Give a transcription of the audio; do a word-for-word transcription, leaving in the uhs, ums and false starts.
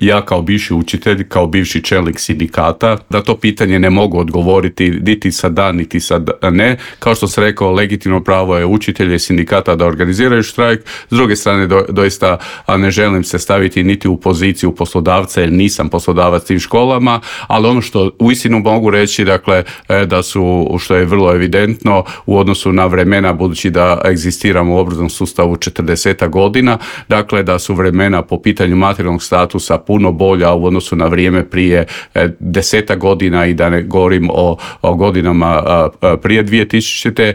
Ja kao bivši učitelj, kao bivši čelnik sindikata, da to pitanje ne mogu odgovoriti niti sad da, niti sad ne. Kao što sam rekao, legitimno pravo je učitelja i sindikata da organiziraju štrajk. S druge strane, do, doista a ne želim se staviti niti u poziciju poslodavca, jer nisam poslodavac tim školama, ali ono što uistinu mogu reći, dakle, da su, što je vrlo evidentno, u odnosu na vremena, budući da egzistiramo u obrazovnom sustavu četrdeset godina, dakle, da su vremena po pitanju materijalnog statusa puno bolja u odnosu na vrijeme prije deseta godina i da ne govorim o, o godinama a, a, prije dvije tisućite.